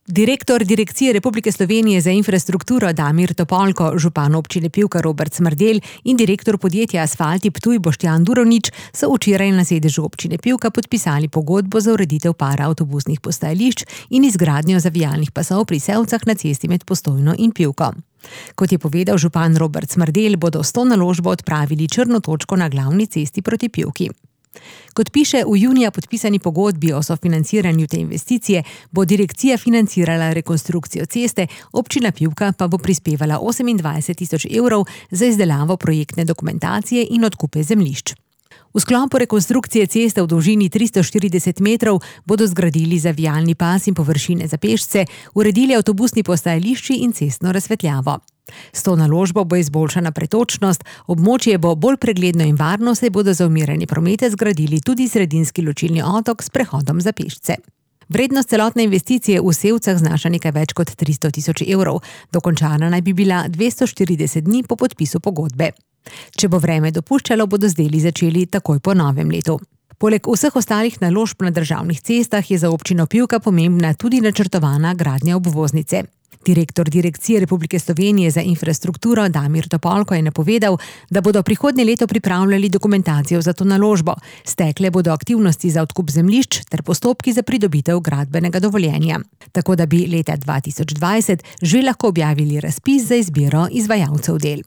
Direktor Direkcije Republike Slovenije za infrastrukturo Damir Topolko, župan občine Pivka Robert Smrdelj in direktor podjetja Asfalti Ptuj Boštjan Durovnič so včeraj na sedežu občine Pivka podpisali pogodbo za ureditev para avtobusnih postajališč in izgradnjo zavijalnih pasov pri Sevcah na cesti med Postojno in Pivko. Kot je povedal župan Robert Smrdelj, bodo s to naložbo odpravili črno točko na glavni cesti proti Pivki. Kot piše v junija podpisani pogodbi o sofinanciranju te investicije, bo direkcija financirala rekonstrukcijo ceste, občina Pivka pa bo prispevala 28 000 evrov za izdelavo projektne dokumentacije in odkupe zemljišč. V sklopu rekonstrukcije ceste v dolžini 340 metrov bodo zgradili zavijalni pas in površine za pešce, uredili avtobusni postajališči in cestno razsvetljavo. S to naložbo bo izboljšana pretočnost, območje bo bolj pregledno in varno, saj bodo za umirjanje prometa zgradili tudi sredinski ločilni otok s prehodom za pešce. Vrednost celotne investicije v Sevcah znaša nekaj več kot 300 000 evrov, dokončana naj bi bila 240 dni po podpisu pogodbe. Če bo vreme dopuščalo, bodo z deli začeli takoj po novem letu. Poleg vseh ostalih naložb na državnih cestah je za občino Pivka pomembna tudi načrtovana gradnja obvoznice. Direktor Direkcije Republike Slovenije za infrastrukturo Damir Topolko je napovedal, da bodo prihodnje leto pripravljali dokumentacijo za to naložbo. Stekle bodo aktivnosti za odkup zemljišč ter postopki za pridobitev gradbenega dovoljenja. Tako da bi leta 2020 že lahko objavili razpis za izbiro izvajalcev del.